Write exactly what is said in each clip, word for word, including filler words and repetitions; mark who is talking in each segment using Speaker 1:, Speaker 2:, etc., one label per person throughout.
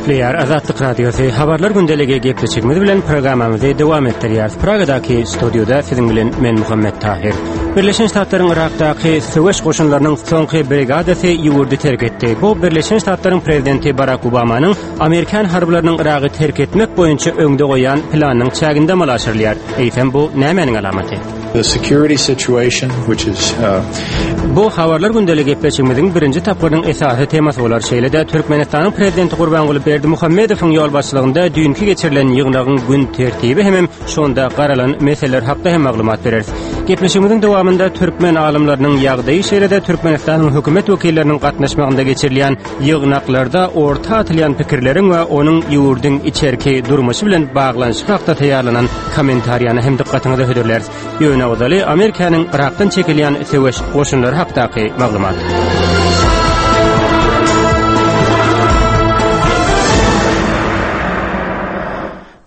Speaker 1: Gepleýär Azatlyk Radiosy. Habarlar gündeligi gepleşigimiz bilen programmamyzy dowam etdirýäris. Pragadaky studiýada siziň bilen men Muhammet Tahir. Birleşen Ştatlaryň Irakdaky söweş goşunlarynyň soňky brigadasy ýurdy terk etdi. Bu Birleşen Ştatlaryň prezidenti Barak Obamanyň Amerikan harbylarynyň Iragy terk etmek boýunça öňde goýan planynyň çäginde amala aşyrylýar. Eýsem bu nämäniň alamaty?
Speaker 2: The security situation, which is uh,
Speaker 1: Bu habarlar gündeligi gepleşigimiziň birinji tapgyrynyň esasy temasy bolar. Şeýle-de Türkmenistanyň prezidenti Gurbanguly Berdimuhamedowyň ýolbaşçylygynda düýnki geçirilen ýygnagyň gün tertibi hemem şonda garalan meseleler hakda hem maglumat bereris. Gepleşigimiziň dowamynda türkmen alymlarynyň ýagdaýy şeýle-de Türkmenistanyň hökümet wekilleriniň gatnaşmagynda geçirilýän ýygnaklarda orta atylýan pikirleriň we onuň ýurduň içerki durmuşy bilen baglanyşygy hakda taýýarlanan kommentariýany hem dykgatyňyza hödürläris. Ýöne ozaly Amerikanyň Irakdan çekilýän söweş goşunlary hakdaky maglumat.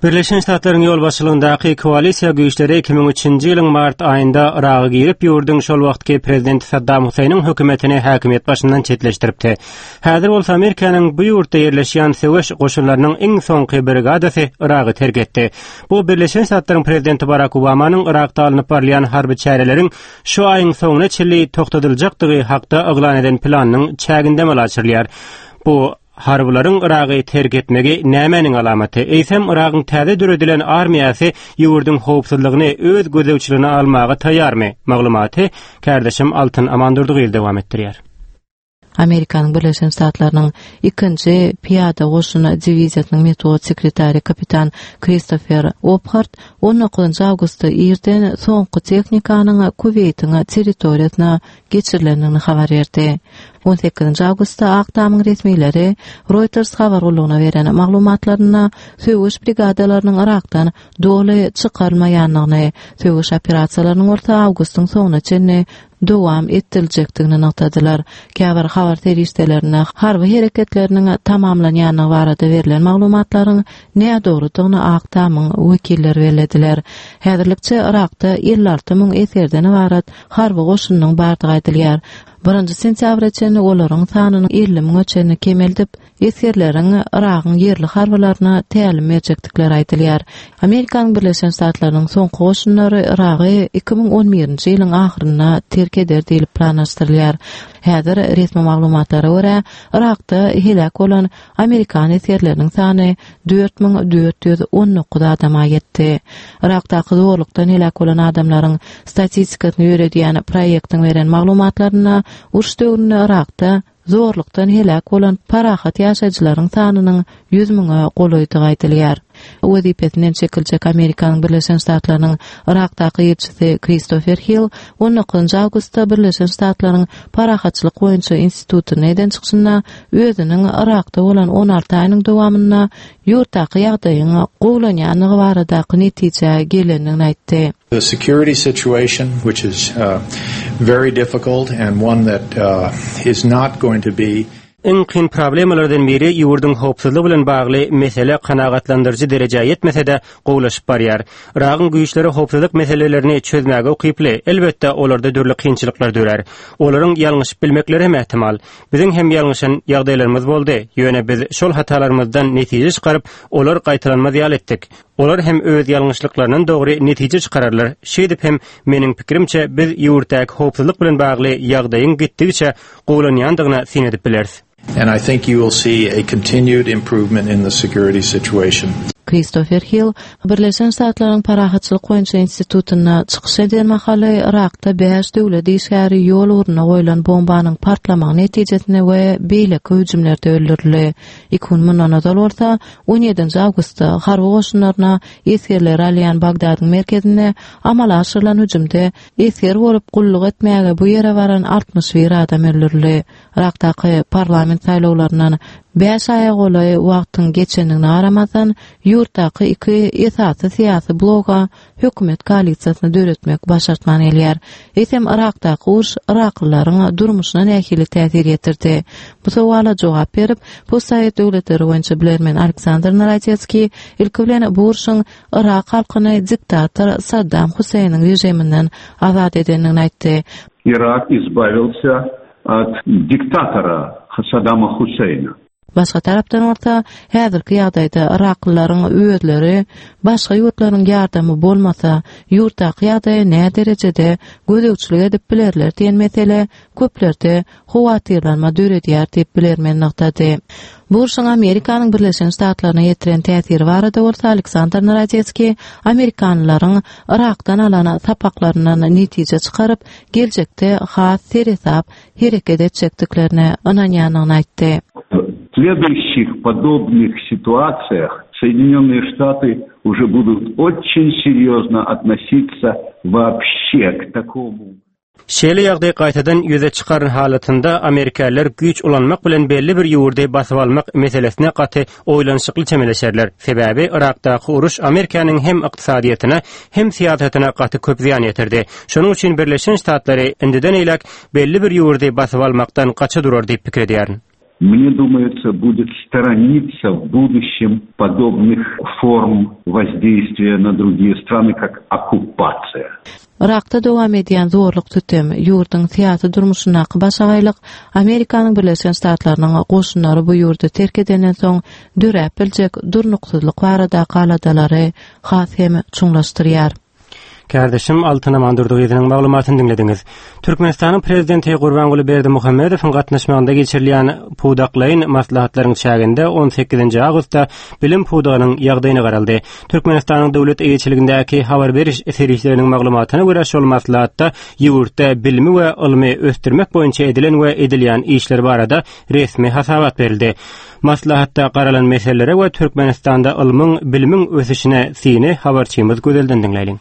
Speaker 1: Birleşen Ştatlaryň ýolbaşçylygyndaky koalisiýa güýçleri iki müň üçünji ýylyň mart aýynda Yraga girip, ýurduň şol wagtky prezidenti Saddam Hüseýniň hökümetini häkimiýet başyndan çetleşdiripdi. Häzir bolsa Amerikanyň bu ýurtda ýerleşýän söweş goşunlarynyň iň soňky brigadasy Yragy terk etdi. Bu Birleşen Ştatlaryň prezidenti Barak Obamanyň Yrakda alnyp barylýan harby çäreleriň şu aýyň soňuna çenli togtadyljakdygy hakda yglan eden planynyň çäginde amala aşyrylýar. Bu harbylaryň Yragy terk etmegi nämäniň alamaty? Eýsem Yragyň täze döredilen armiýasy ýurduň howpsuzlygyny öz gözegçiligine almaga taýýarmy? Maglumaty kärdeşim Altyn Amandurdygyl dowam etdirýär.
Speaker 3: Amerikanyň Birleşen Ştatlarynyň ikinji piýada goşuny diwiziýasynyň metbugat sekretary kapitan Kristofer Ophart on dokuzynjy awgustda irden soňky tehnikanyň Kuweýtiň territoriýasyna geçirilendigini habar berdi. On sekizinji awgustda Ak Tamyň resmileri Reuters habar gullugyna beren maglumatlarynda söweş brigadalarynyň Irakdan doly çykarylmaýandygyny, söweş operasiýalarynyň bolsa awgustyň soňuna çenli dowam etdiriljekdigini nygtadylar. Käbir habar serişdelerinde harby hereketleriniň tamamlanýandygy barada berlen maglumatlaryň nädogrudygyny Ak Tamyň wekilleri bellediler. Häzirlikçe Irakda elli alty müň esgerden ybarat harby goşunynyň bardygy aýdylýar. Birinji sentýabra çenli olaryň sanyny elli müňe çenli kemeldip, esgerleriň Iragyň ýerli harbylaryna tälim berjekdikleri aýdylýar. Amerikanyň Birleşen Ştatlarynyň soňky goşunlary Iragy iki müň on birinji ýylyň ahyrynda terk eder diýlip planlaşdyrylýar. Häzir resmi maglumatlara görä, Irakda heläk bolan Amerikan esgerleriniň sany dört müň dört ýüz on dokuz adama ýetdi. Irakdaky zorlukdan heläk bolan adamlaryň statistikasyny ýöredýän proýektiň beren maglumatlarynda uruş döwründe Irakda zorlukdan heläk bolan parahat ýaşaýjylaryň sanynyň ýüz müňe golaýdygy aýdylýar. Wezipesinden çekiljek Amerikanyň Birleşen Ştatlarynyň Irakdaky ilçisi Kristofer Hill on dokuzynjy awgustda Birleşen Ştatlaryň Parahatçylyk boýunça institutynda eden çykyşynda özüniň Irakda bolan on alty aýynyň dowamynda ýurtdaky ýagdaýyň gowulanýandygy baradaky netijä gelendigini aýtdy.
Speaker 2: The security situation, which is, uh, very difficult and one that, uh, is not going to be
Speaker 1: Iň kyn problemalardan biri ýurduň howpsuzlygy bilen bagly mesele kanagatlandyryjy derejä ýetmese-de gowulaşyp barýar. Iragyň güýçleri howpsuzlyk meselelerini çözmäge ukyply, elbetde olarda dürli kynçylyklar dörär. Olaryň ýalňyşyp bilmekleri hem ähtimal. Biziň hem ýalňyşan ýagdaýlarymyz boldy, ýöne biz şol hatalarymyzdan netije çykaryp, olar gaýtalanmaz ýaly etdik. Olar hem öz ýalňyşlyklaryndan dogry netije çykararlar. Şeýdip hem meniň pikirimçe biz ýurtdaky howpsuzlyk bilen bagly ýagdaýyň gitdigiçe gowulanýandygyna syn edip bileris.
Speaker 2: And I think you will see a continued improvement in the security situation.
Speaker 3: Kristofer Hill Birleşen Ştatlaryň Parahatçylyk boýunça institutynda çykyş eden mahaly Irakda bäş döwlet işgäri ýol ugruna goýlan bombanyň partlamagy netijesinde we beýleki hüjümlerde öldürildi. Iki gün mundan ozal bolsa on ýedinji awgustda harby goşunlaryna esgerleri alýan Bagdadyň merkezinde amala aşyrylan hüjümde esger bolup gulluk etmäge bu ýere baran altmyş bir adam öldürildi. Irakdaky parlament saýlawlaryndan bäş aýa golaý wagtyň geçendigine garamazdan, ýurtdaky iki esasy syýasy bloga hökümet koalisiýasyny döretmek başartman gelýär. Eýsem Irakdaky uruş Iraklylaryň durmuşyna nähili täsir ýetirdi? Bu sowala jogap berip, postsowet döwletleri boýunça bilermen Aleksandr Narodetskiý ilki bilen bu urşuň Irak halkyny diktator Saddam Hüseýniň režiminden azat edendigini aýtdy.
Speaker 4: Irak избавился от диктатора Саддама Хусейна.
Speaker 3: Başga tarapdan bolsa, häzirki ýagdaýda Yraklylaryň özleri başga ýurtlaryň ýardamy bolmasa, ýurtdaky ýagdaýa nä derejede gözegçilik edip bilerler diýen mesele köplerde howatyrlanma döredýär diýip bilermen nygtady. Bu urşuň Amerikanyň Birleşen Ştatlaryna ýetiren täsiri barada bolsa Aleksandr Narodetskiý amerikanlylaryň Yrakdan alan sapaklaryndan netije çykaryp, geljekde has seresap hereket etjekdiklerine ynanýandygyny aýtdy.
Speaker 4: В следующих подобных ситуациях Соединенные Штаты уже будут очень серьезно относиться вообще к такому.
Speaker 1: Şeýle ýagdaý gaýtadan ýüze çykaran halatynda amerikalylar güýç ulanmak bilen belli bir ýurdy basyp almak meselesine gaty oýlanyşykly çemeleşerler. Sebäbi Yrakdaky uruş Amerikanyň hem ykdysadyýetine hem syýasatyna gaty köp zyýan ýetirdi. Şonuň üçin Birleşen Ştatlary indiden eýläk belli bir ýurdy basyp almakdan gaça durar diýip pikir edýärin.
Speaker 4: Мне думается, будет сторониться в будущем подобных форм воздействия на другие страны, как оккупация.
Speaker 3: Yrakda dowam edýän zorluk sütem, ýurduň syýasy durmuşyndaky başagaýlyk Amerikanyň Birleşen Ştatlarynyň goşunlary bu ýurdy terk edenden soň döräp biljek durnuksyzlyk baradaky aladalary has hem çuňlaşdyrýar.
Speaker 1: Kärdeşim Altyn Amandurdygyzynyň maglumatyny diňlediňiz. Türkmenistanyň prezidenti Gurbanguly Berdimuhamedowyň gatnaşmagynda geçirilýän pudaklaýyn maslahatlaryň çäginde on sekizinji awgustda bilim pudagynyň ýagdaýyna garaldy. Türkmenistanyň döwlet eýeçiligindäki habar beriş serişdeleriniň maglumatyna görä şol maslahatda ýurtda bilimi we ylmy ösdürmek boýunça edilen we edilýän işler barada resmi hasabat berildi. Maslahatda garalan meselelere we Türkmenistanda ylmyň, bilimiň ösüşine syny habarçymyz Gözelden diňläýliň.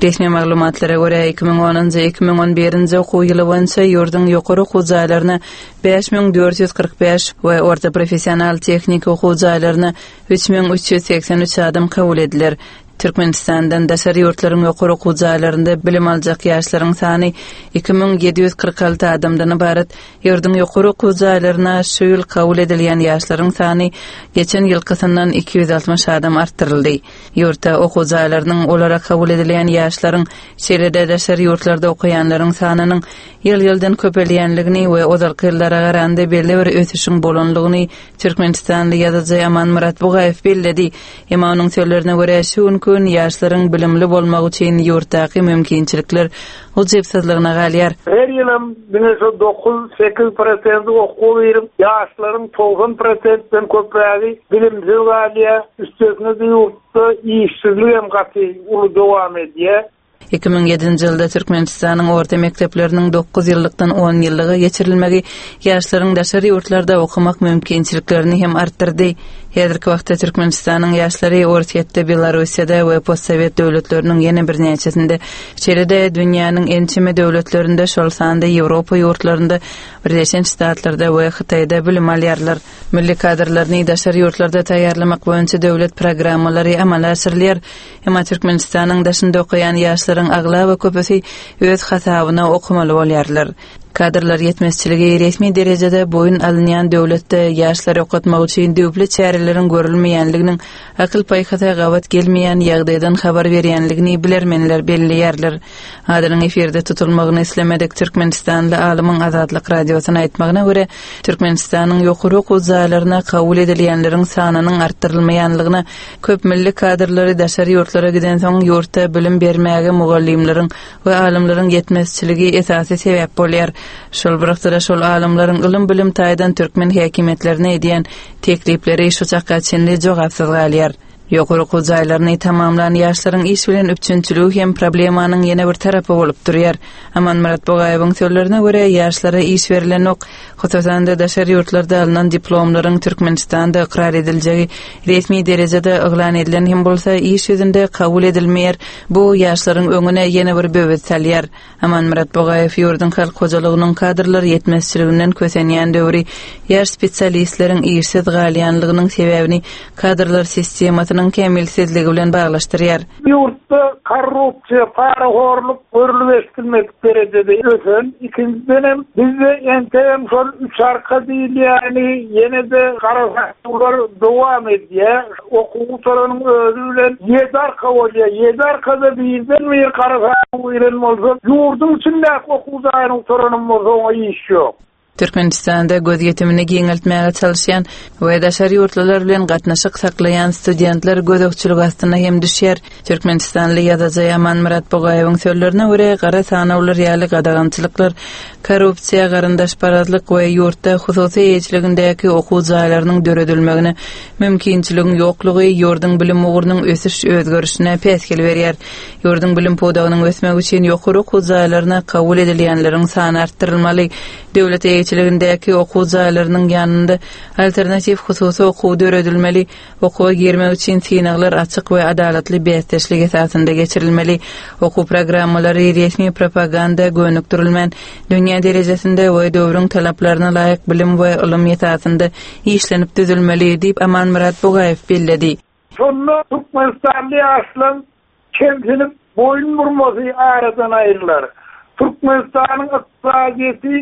Speaker 5: Resmi maglumatlara görä iki müň onunjy, iki müň on birinji okuw ýyly boýunça ýurduň ýokary okuw jaýlaryna bäş müň dört ýüz kyrk bäş we orta professional tehniki okuw jaýlaryna üç müň üç ýüz segsen üç adam kabul ediler. Türkmenistandan daşary ýurtlaryň ýokary okuw jaýlarynda bilim aljak ýaşlaryň sany iki müň ýedi ýüz kyrk alty adamdan ybarat. Ýurduň ýokary okuw jaýlaryna şu ýyl kabul edilýän ýaşlaryň sany geçen ýylkysyndan iki ýüz altmyş adam artdyryldy. Ýurtda okuw jaýlarynyň olara kabul edilýän ýaşlaryň, şeýle-de daşary ýurtlarda okaýanlaryň sanynyň ýyl-ýyldan köpelýänligini we ozalky ýyllara garanda belli bir ösüşiň bolanlygyny Türkmenistanly ýazyjy Amanmyrat Bugaýew belledi. Emma onuň sözlerine görä şu günki gün ýaşlaryň bilimli bolmagy üçin ýurtdaky mümkinçilikler ujypsyzlygyna galýar.
Speaker 6: Her ýylam diňe şu dokuz sekiz prosent okuw girip, ýaşlaryň togsan prosentden köprägi bilimsiz galýar. Üstesine de ýurtda işsizlik hem gaty uly dowam edýär.
Speaker 5: Iki müň ýedinji ýylda Türkmenistanyň orta mekdepleriniň dokuz ýyllykdan on ýyllyga geçirilmegi ýaşlaryň daşary ýurtlarda okamak mümkinçiliklerini hem artdyrdy. Häzirki wagtda Türkmenistanyň ýaşlary Orsýetde, Belarussiýada we postsowet döwletleriniň ýene bir näçesinde, şeýle-de dünýäniň ençeme döwletlerinde, şol sanda Ýewropa ýurtlarynda, Birleşen Ştatlarda we Hytaýda bilim alýarlar. Milli kadrlaryny daşary ýurtlarda taýýarlamak boýunça döwlet programmalary amala aşyrylýar. Emma Türkmenistanyň daşynda okaýan ýaşlaryň aglaba köpüsi öz hasabyna okamaly bolýarlar. Kadrlar ýetmezçiligi resmi derejede boýun alynýan döwletde ýaşlary okatmak üçin döwlet çäreleriň görülmeýänliginiň akyl paýhasa gabat gelmeýän ýagdaýdan habar berýänligini bilermenler belleýärler. Adynyň efirde tutulmagyny islemedik Türkmenistanly alymyň Azatlyk radiosyna aýtmagyna görä, Türkmenistanyň ýokary okuw jaýlaryna kabul edilýänleriň sanynyň artdyrylmaýanlygyna, köp milli kadrlary daşary ýurtlara giden soň ýurtda bilim bermäge mugallymlaryň we alymlaryň ýetmezçiligi esasy sebäp bolýar. Şol bir wagtda şol alymlaryň ylym bilim taýdan türkmen häkimiýetlerine edýän teklipleri şu çaka çenli jogapsyz galýar. Ýokary okuw jaýlaryny tamamlan ýaşlaryň iş bilen üpjünçiligi hem problemanyň ýene bir tarapy bolup durýar. Amanmyrat Bugaýewiň sözlerine görä ýaşlara iş berilenok, hususan-da daşary ýurtlarda alnan diplomlaryň Türkmenistanda ykrar ediljegi resmi derejede yglan edilen hem bolsa iş ýüzünde kabul edilmeýär. Bu ýaşlaryň öňüne ýene bir böwet salýar. Amanmyrat Bugaýew ýurduň halk hojalygynyň kadrlar ýetmezçiliginden kösenýän döwri ýaş spesialistleriň işsiz galýanlygynyň sebäbini kadrlar sistemasynyň kämilsizligi bilen baglaşdyrýar.
Speaker 6: Ýurtda korrupsiýa, parahorluk görülip eşidilmedik derejede ösen, ikinjiden hem bizde entegem şol üç arka diýilýäni ýene-de garasaklar dowam edýär. Okuw gutaranyň özi bilen ýedi arka bolýar. Ýedi arkada birden bir garasak giren bolsa, ýurduň içindäki okuw jaýyny gutaranym bolsa oňa iş ýok.
Speaker 5: Türkmenistanda gözýetimini giňeltmäge çalışýan we daşary ýurtlular bilen gatnaşyk saklaýan studentler gözegçilik astyna hem düşýär. Türkmenistanly ýazyjy Amanmyrat Bugaýewiň sözlerine görä, gara sanawlar ýaly gadagançylyklar, korrupsiýa, garyndaşparazlyk we ýurtda hususy eýeçiligindäki okuw jaýlarynyň döredilmegine mümkinçiligiň ýoklugy ýurduň bilim ugrunyň ösüş özgerişine päsgel berýär. Ýurduň bilim pudagynyň ösmegi üçin ýokary okuw jaýlaryna kabul edilýänleriň sany artdyrylmaly. Döwlet eýeçiligindäki okuw jaýlarynyň ýanynda alternatiw hususy okuw döredilmeli. Okuwa girmek üçin synaglar açyk we adalatly bäsdeşlik esasynda geçirilmeli. Okuw programmalary resmi propaganda gönükdirilmän, dünýä derejesinde we döwrüň talaplaryna laýyk bilim we ylym esasynda işlenip düzülmeli diýip Amanmyrat Bugaýew belledi.
Speaker 6: Şonda Türkmenistanly ýaşlaryň kemsinip boýun burmasy aradan aýrylar. Türkmenistanyň ykdysadyýeti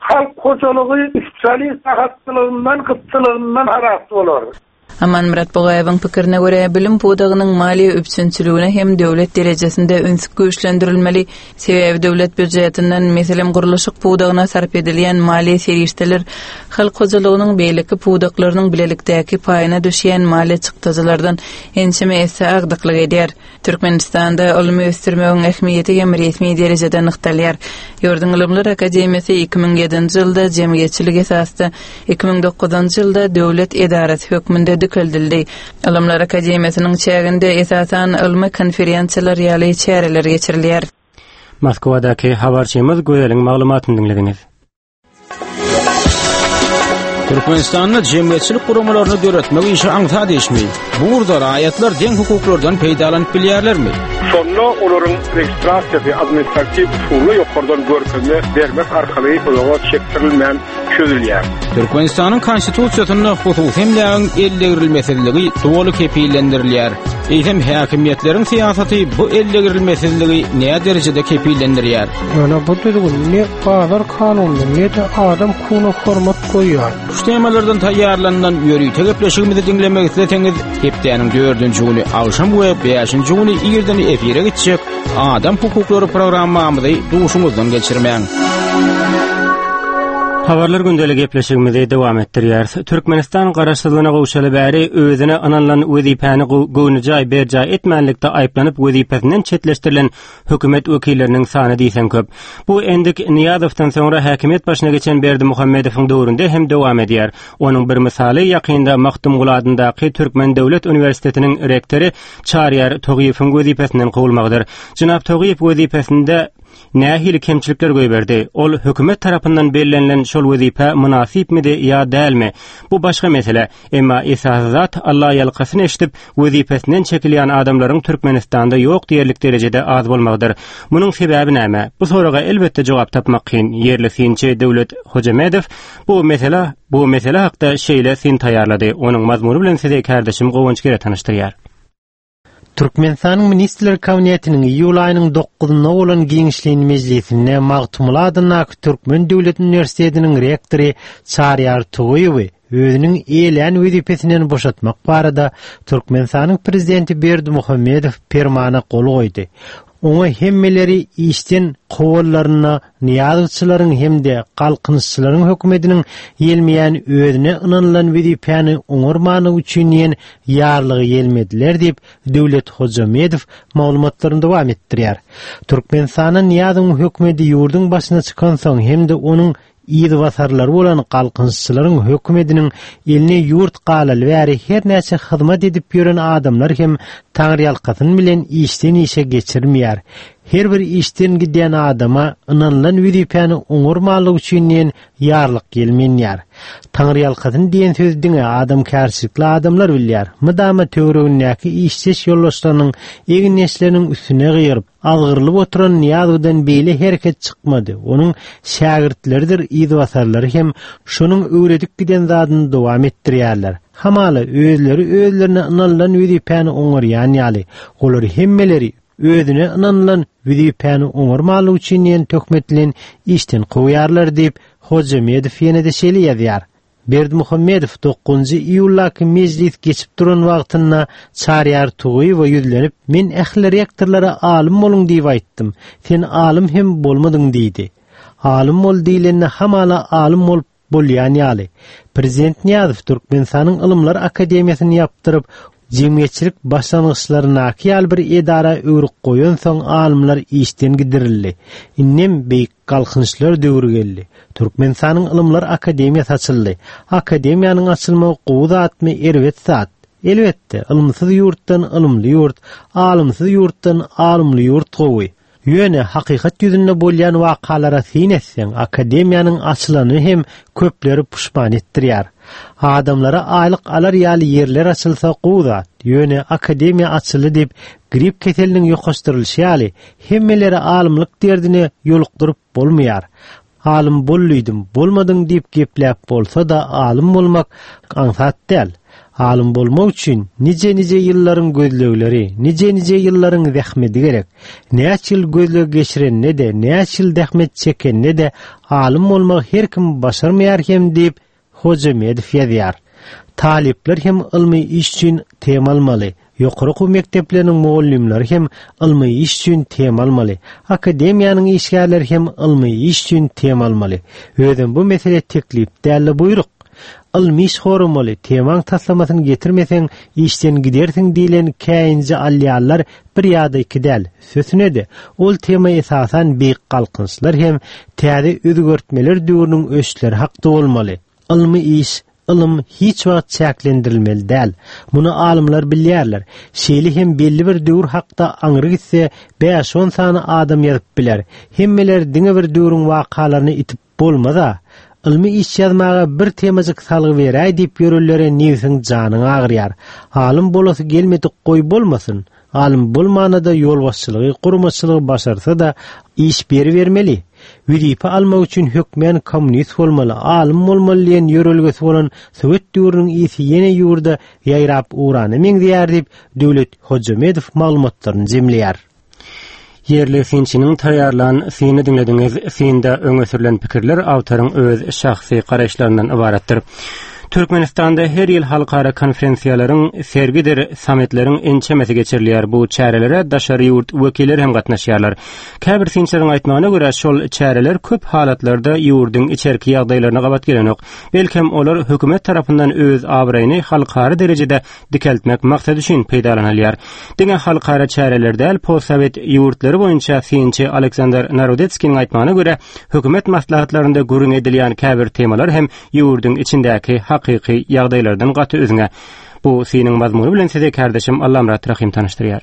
Speaker 6: halk hojalygy sosialist rahatlygyndan, gytçylygyndan halas bolar.
Speaker 5: Amanmyrat Bugaýewiň pikirine görä, bilim pudagynyň maliýe üpjünçiligine hem döwlet derejesinde üns güýçlendirilmeli. Sebäbi döwlet býujetinden, meselem, gurluşyk pudagyna sarp edilýän maliýe serişdeler halk hojalygynyň beýleki pudaklarynyň bilelikdäki paýyna düşýän maliýe çykdajylardan ençeme esse agdyklyk edýär. Türkmenistanda ylmy ösdürmegiň ähmiýeti hem resmi derejede nygtalýar. Ýurduň Ylymlar Akademiýasy iki müň ýedinji ýylda jemgyýetçilik esasda, iki müň dokuzynjy ýylda döwlet edarasy hökmünde dikeldildi. Ylymlar Akademiýasynyň çäginde esasan ylmy konferensiýalar ýaly çäreler geçirilýär.
Speaker 1: Moskwadaky habarçymyz Gözeliň maglumatyny diňlediňiz.
Speaker 7: Türkmenistanda jemgyýetçilik guramalaryny döretmek işi aňsat işmi? Bu ugurda raýatlar deň hukuklardan peýdalanyp bilýärlermi?
Speaker 8: Şonda olaryň registrasiýasy administratiw usulda ýokardan görkezme bermek arkaly uzaga çekdirilmän çözülýär.
Speaker 7: Türkmenistanyň konstitusiýasynda hususy emlägiň ellegirilmesizligi doly kepillendirilýär. Eýsem häkimiýetleriň syýasaty bu ellegirilmesizligi näme derejede kepillendirýär?
Speaker 9: Ýöne bu düzgün ne bazar kanunyna ne-de adam hukugyna hormat goýýar.
Speaker 7: Şu temalardan taýýarlanan ýörite gepleşigimizi diňlemek isleseňiz, hepdäniň dördünji güni agşam we bäşinji güni irden efire gitjek Adam hukuklary programmamyzy duşuňyzdan geçirmäň.
Speaker 1: Habarlar gündeli gepleşigimizi dowam etdirýäris. Türkmenistan garaşsyzlygyna gowşaly bäri özüne ynanylan wezipäni göwnüjaý berjaý etmänlikde aýyplanyp wezipesinden çetleşdirilen hökümet wekilleriniň sany diýseň köp. Bu endik Nyýazowdan soňra häkimiýet başyna geçen Berdimuhamedowyň döwründe hem dowam edýär. Onuň bir mysaly ýakynda Magtymguly adyndaky Türkmen Döwlet Uniwersitetiniň rektory Çaryýar Togyýewiň wezipesinden kowulmagydyr. Jenap Togyýew wezipesinde nähili kemçilikler goýberdi? Ol hökümet tarapyndan bellenilen şol wezipe mynasypmydy ýa dälmi? Bu başga mesele. Emma esasy zat Allah ýalkasyny eşidip wezipesinden çekilýän adamlaryň Türkmenistanda ýok diýerlik derejede az bolmagydyr. Munuň sebäbi näme? Bu soraga elbetde jogap tapmak kyn. Ýerli synçy Döwlet Hojamedow bu mesele bu mesele hakda şeýle syn taýýarlady. Onuň mazmuny bilen size kardeşim Gowanç Gere tanyşdyrýar.
Speaker 10: Türkmenistanyň Ministrler Kabinetiniň iýul aýynyň dokuzynda bolan giňişleýin mejlisinde Magtymguly adyndaky Türkmen Döwlet Uniwersitetiniň rektory Çaryýar Togyýewi özüniň eýelän wezipesinden boşatmak barada Türkmenistanyň prezidenti Berdimuhamedow permana gol goýdy. Oňa hemmeleri işden kowallaryna Nyýazowçylaryň hem-de galkynyşçylaryň hökümetiniň ýelmeýän özüne ynanylan wezipäni oňarmany üçin diýen ýarlygy ýelmediler diýip Döwlet Hojamedow maglumatlaryny dowam etdirýär. Türkmenistanyň Nyýazowyň hökümeti ýurduň başyna çykansoň hem-de onuň ýyzbasarlary bolan galkynyşçylaryň hökümetiniň eline ýurt galaly bäri her näçe hyzmat edip ýören adamlar hem taňryýalkasyn bilen işden işe geçirmeýär. Her bir işden gidýän adama ynanylan wezipäni oňarmalyk üçin diýen ýarlyk ýelmenýär. Taňryýalkasyn diýen söz diňe adamkärçilikli adamlar bilýär. Mydama töweregindäki işdeş ýoldaşlarynyň egindeşleriniň üstüne gyýyryp, azgyrylyp oturan Nyýazowdan beýle hereket çykmady. Onuň şägirtleridir ýyzbasarlary hem şonuň öwredip giden zadyny dowam etdirýärler. Hamala özleri özlerine ynanylan wezipäni oňarýan ýaly, olar hemmeleri özüne ynanylan wezipäni oňarmalyk üçin diýen töhmet bilen işden kowýarlar diýip Hojamedow ýene-de şeýle ýazýar. Berdimuhamedow dokuzynjy iýuldaky mejlis geçip duran wagtynda Çaryýar Togyýewe ýüzlenip, men ähli rektorlara alym boluň diýip aýtdym. Sen alym hem bolmadyň diýdi. Alym bol diýlende hamala alym bolup bolýan ýaly. Prezident Nyýazow Türkmenistanyň Ylymlar Akademiýasyny ýapdyryp, jemgyýetçilik başlangyçlaryndaky ýaly bir edara öwrüp goýansoň alymlar işden gidirildi. Indem beýik galkynyşlar döwri geldi. Türkmenistanyň Ylymlar Akademiýasy açyldy. Akademiýanyň açylmagy gowy zatmy, erbet zat? Elbetde, ylymsyz ýurtdan ylymly ýurt, alymsyz ýurtdan alymly ýurt gowy. Ýöne hakykat ýüzünde bolýan wakalara syn etseň, akademiýanyň açylany hem köpleri puşman etdirýär. Adamlara aýlyk alar ýaly ýerler açylsa gowy zat. Ýöne akademiýa açyldy diýip grip keseliniň ýokaşdyrylyşy ýaly hemmeleri alymlyk derdine ýolukdyryp bolmaýar. Alym bolduydum, bolmadyň diýip gepläp bolsa-da alym bolmak aňsat däl. Alym bolmak üçin nice-nice ýyllaryň gözlegleri, nice-nice ýyllaryň zähmeti gerek. Näçe ýyl gözleg geçirende-de, näçe ýyl zähmet çekende-de alym bolmak her kim başarmaýar hem diýip Hojamedow ýazýar. Talyplar hem ylmy iş üçin tema almaly. Ýokary okuw mekdepleriniň mugallymlary hem ylmy iş üçin tema almaly. Akademiýanyň işgärleri hem ylmy iş üçin tema almaly. Özem bu mesele teklip däl-de buýruk. Ylmy iş horamaly, temaň taslamasyny getirmeseň işden gidersiň diýlen käýinji alýarlar bir ýa-da iki däl. Sösüne-de ol tema esasan beýik galkynyşlar hem täze özgertmeler döwrüniň ösüşleri hakda bolmaly. Ylmy iş, ylym hiç wagt çäklendirilmeli däl. Muny alymlar bilýärler. Şeýle hem belli bir döwür hakda aňry gitse bäş-on sany adam ýazyp biler. Hemmeler diňe bir döwrüň wakalaryny itip bolmaz-a. Ylmy iş ýazmaga bir temajyk salgy beräý diýip ýörelere nebsiň janyň agyrýar. Alym bolasy gelmedik goý bolmasyn. Alym bolmana da ýolbaşçylygy, gurmaçylygy başarsa da iş beri bermeli. Wezipe almak üçin hökmän kommunist bolmaly, alym bolmaly diýen ýörelgesi bolan Sowet döwrüniň isi ýene ýurda ýaýrap ugrana meňzeýär diýip Döwlet Hojamedow maglumatlaryny jemleýär.
Speaker 1: Ýerli synçynyň taýýarlan syny diňlediňiz. Synda öňe sürülen pikirler awtoryň öz şahsy garaýyşlaryndan ybaratdyr. Türkmenistanda her ýyl halkara konferensiýalaryň, sergidir sammitleriň ençemesi geçirilýär. Bu çärelere daşary ýurt wekilleri hem gatnaşýarlar. Käbir synçylaryň aýtmagyna görä, şol çäreler köp halatlarda ýurduň içerki ýagdaýlaryna gabat gelenok. Belkem olar hökümet tarapyndan öz abraýyny halkara derejede dikeltmek maksady üçin peýdalanylýar. Diňe halkara çäreler däl, postsowet ýurtlary boýunça synçy Aleksandr Narodetskiniň aýtmagyna görä, hökümet maslahatlarynda gürrüň edilýän käbir temalar hem ýurduň içindäki hakyky ýagdaýlardan gaty üzňe. Bu synyň mazmuny bilen size kardeşim Allamrat Rahim tanyşdyrýar.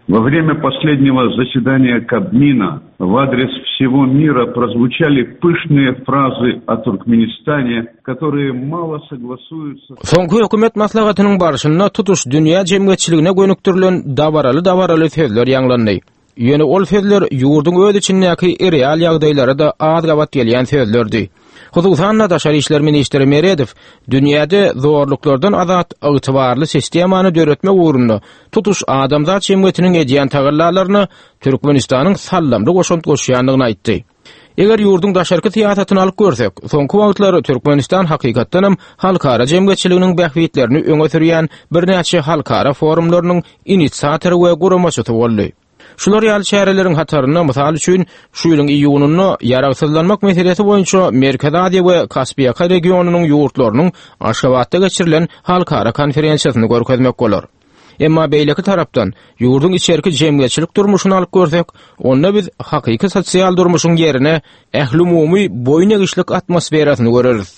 Speaker 4: Во время последнего заседания Кабмина в адрес всего мира прозвучали пышные фразы о Туркменистане, которые мало согласуются...
Speaker 7: Soňky hökümet maslahatynyň barşynda tutuş dünýä jemgyýetçiligine gönükdirilen dabaraly-dabaraly sözler ýaňlandy. Ýöne ol sözler ýurduň öz içindäki real ýagdaýlara da az gabat gelýän sözlerdi. Hususan-da Daşary işler ministri Meredow dünýäde zorluklardan azat ygtybarly sistemany döretmek ugrunda tutuş adamzat jemgyýetiniň edýän tagallalaryna Türkmenistanyň sallamly goşant goşýandygyny aýtdy. Eger ýurduň daşarky syýasatyny alyp görsek, soňky wagtlar Türkmenistan hakykatdanam halkara jemgyýetçiliginiň bähbitlerini öňe sürýän birnäçe halkara forumlarynyň inisiatory we guramaçysy boldy. Şular ýaly çäreleriň hatarynda mysal üçin şu ýylyň iýunynda ýaragsyzlanmak meselesi boýunça Merkezi Aziýa we Kaspiýaka regionynyň ýurtlarynyň Aşgabatda geçirilen halkara konferensiýasyny görkezmek bolar. Emma beýleki tarapdan ýurduň içerki jemgyýetçilik durmuşyny alyp görsek, onda biz hakyky sosial durmuşyň ýerine ählumumy boýun egişlik atmosferasyny göreris.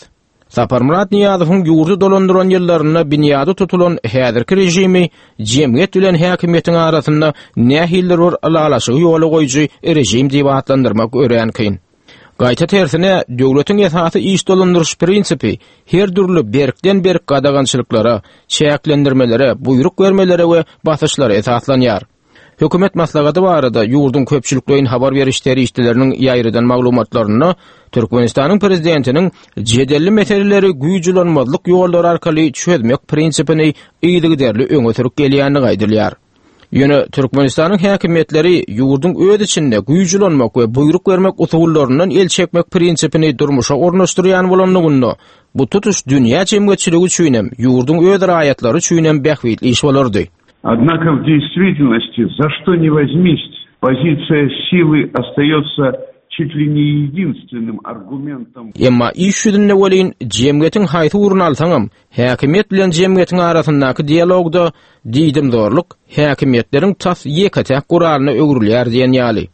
Speaker 7: Saparmyrat Nyýazowyň ýurdy dolandyran ýyllarynda binýady tutulan häzirki režimi jemgyýet bilen häkimiýetiň arasynda nähilidir bir ylalaşygy ýola goýujy režim diýip atlandyrmak örän kyn. Gaýta tersine döwletiň esasy iş dolandyryş prinsipi her dürli berkden berk gadagançylyklara, çäklendirmelere, buýruk bermelere we basyşlara esaslanýar. Hökümet maslahaty barada ýurduň köpçülikleýin habar beriş serişdeleriniň ýaýradan maglumatlarynda Türkmenistanyň prezidentiniň jedelli meseleleri güýçlenmezlik ýollary arkaly çözmek prinsipini yzygiderli öňe sürüp gelýändigi aýdylýar. Ýöne Türkmenistanyň häkimiýetleri ýurduň öz içinde güýçlenmek we buýruk bermek usullaryndan el çekmek prinsipini durmuşa ornaşdyrýan bolanlygynda bu tutuş dünýä jemgyýetçiligi üçin hem ýurduň öz raýatlary üçin hem bähbitli iş bolardy.
Speaker 4: Однако в действительности, за что ни возьмись, позиция силы остается чуть ли не единственным аргументом.
Speaker 7: Emma iş ýüzünde welin jemgyýetiň haýsy ugruny alsaňam, häkimiýet bilen jemgyýetiň arasyndaky dialogda diýdimzorluk häkimiýetleriň tas ýeke-täk guralyna öwrülýär diýen ýaly.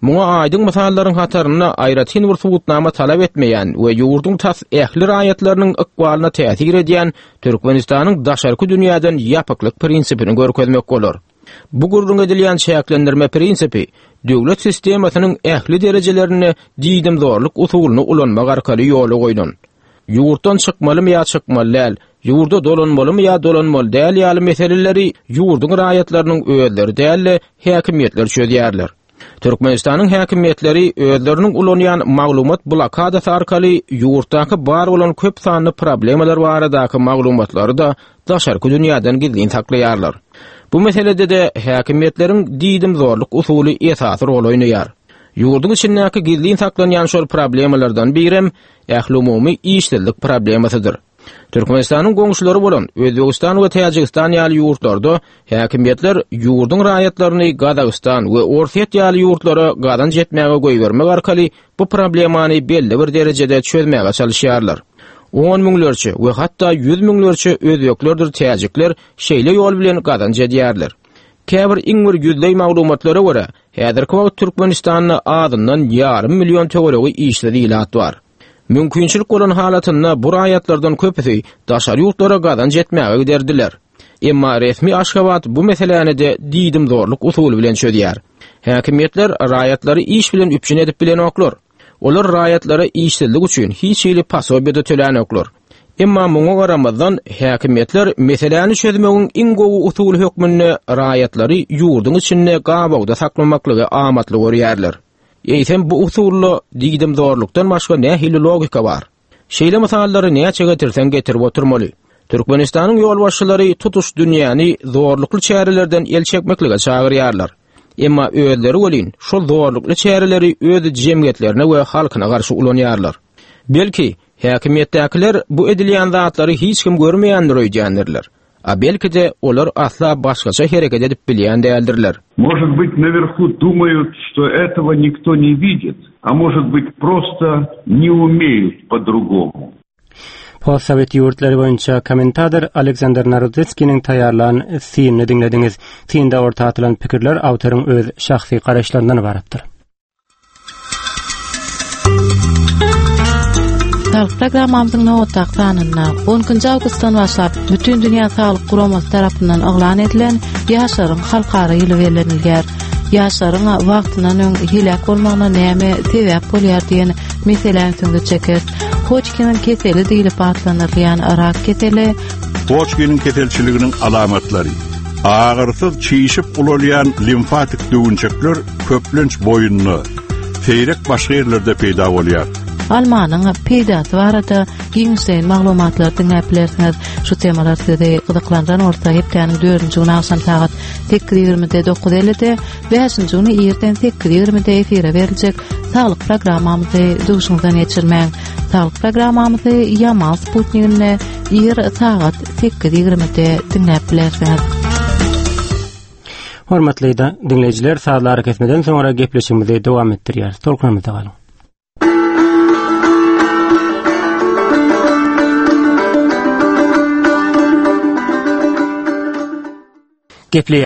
Speaker 7: Muňa aýdyň mysallaryň hatarynda aýratyn bir subutnama talap etmeýän we ýurduň tas ähli raýatlarynyň ykbalyna täsir edýän Türkmenistanyň daşarky dünýäden ýapyklyk prinsipini görkezmek bolar. Bu gürrüň edilýän çäklendirme prinsipi döwlet sistemasynyň ähli derejelerinde diýdimzorluk usulyny ulanmak arkaly ýola goýlan. Ýurtdan çykmalymy ýa çykmaly däl, ýurda dolanmalymy ýa dolanmaly däl ýaly meseleleri ýurduň raýatlarynyň özleri däl-de häkimiýetler çözýärler. Türkmenistanyň häkimiýetleri özleriniň ulanýan maglumat blokadasy arkaly ýurtdaky bar bolan köp sanly problemalar baradaky maglumatlary da daşarky dünýäden gizlin saklaýarlar. Bu meselede de häkimiýetleriň diýdimzorluk usuly esasy rol oýnaýar. Ýurduň içindäki gizlin saklanýan şol problemalardan birem ählumumy işsizlik problemasydyr. Türkmenistanyň goňşulary bolan Özbegistan we Täjigistan ýaly ýurtlarda häkimiýetler ýurduň raýatlaryny Gazagystan we Orsýet ýaly ýurtlara gazanç etmäge goýbermek arkaly bu problemany belli bir derejede çözmäge çalışýarlar. On müňlerçe we hatda ýüz müňlerçe özbeklerdir täjikler şeýle ýol bilen gazanç edýärler. Käbir iň bir ýüzleý maglumatlara görä, häzirki wagt Türkmenistanda azyndan ýarym million töweregi işsiz ilat bar. Mümkinçilik bolan halatynda bu raýatlardan köpüsi daşary ýurtlara gazanç etmäge giderdiler. Emma resmi Aşgabat bu meseläni de diýdimzorluk usuly bilen çözýär. Häkimiýetler raýatlary iş bilen üpjün edip bilenoklar. Olar raýatlara işsizlik üçin hiç hili posobiýa tölänoklar. Emma muňa garamazdan häkimiýetler meseläni çözmegiň iň gowy usuly hökmünde raýatlary ýurduň içinde gabawda saklamaklygy amatly görýärler. Eýsem bu usulla diýdimzorlukdan başga nähili logika bar? Şeýle mysallary näçe getirseň getirip oturmaly. Türkmenistanyň ýolbaşçylary tutuş dünýäni zorlukly çärelerden el çekmeklige çagyrýarlar. Emma özleri welin şol zorlukly çäreleri öz jemgyýetlerine we halkyna garşy ulanýarlar. Belki häkimiýetdäkiler bu edilýän zatlary hiç kim görmeýändir öýdýändirler. A belki de olar asla başgaça hereket edip bilýän däldirler.
Speaker 4: Может быть, наверху думают, что этого никто не видит, а может быть, просто не умеют по-другому.
Speaker 1: Postsovet ýurtlary boýunça kommentator Aleksandr Narodetskiniň taýýarlan synyny diňlediňiz. Synda orta atylan pikirler awtoryň öz şahsy garaýyşlaryndan ybaratdyr.
Speaker 3: Saglyk programmamyzyň nobatdaky sanynda on ikinji awgustdan başlap Bütün Dünýä Saglyk Guramasy tarapyndan yglan edilen Ýaşlaryň halkara ýyly bellenilýär. Ýaşlaryň wagtyndan öň heläk bolmagyna näme sebäp bolýar diýen meseläni üstünde çeker. Hodgkiniň keseli diýlip atlandyrylýan rak keseli
Speaker 11: Hodgkiniň keselçiliginiň alamatlary agyrsyz çişip ulalýan limfatik düwünçekler köplenç boýunda, seýrek başga ýerlerde peýda bolýar.
Speaker 3: Almanyň peýdasy barada giňişleýin maglumatlar diňläp bilersiňiz. Şu temalar sizi gyzyklandyran bolsa hepdäniň dördünji güni agşam sagat sekiz ýigrimide dokuz ellide, bäşinji güni irden sekiz ýigrimide efire beriljek saglyk programmamyzy duşuňyzdan geçirmäň. Saglyk programmamyzy Yamal Sputnikinde ir sagat sekiz ýigrimide diňläp bilersiňiz.
Speaker 1: Hormatly diňleýjiler, sazlary kesmeden soňra gepleşigimizi dowam etdirýäris. Tolkunymyzda galyň. Gepleýär.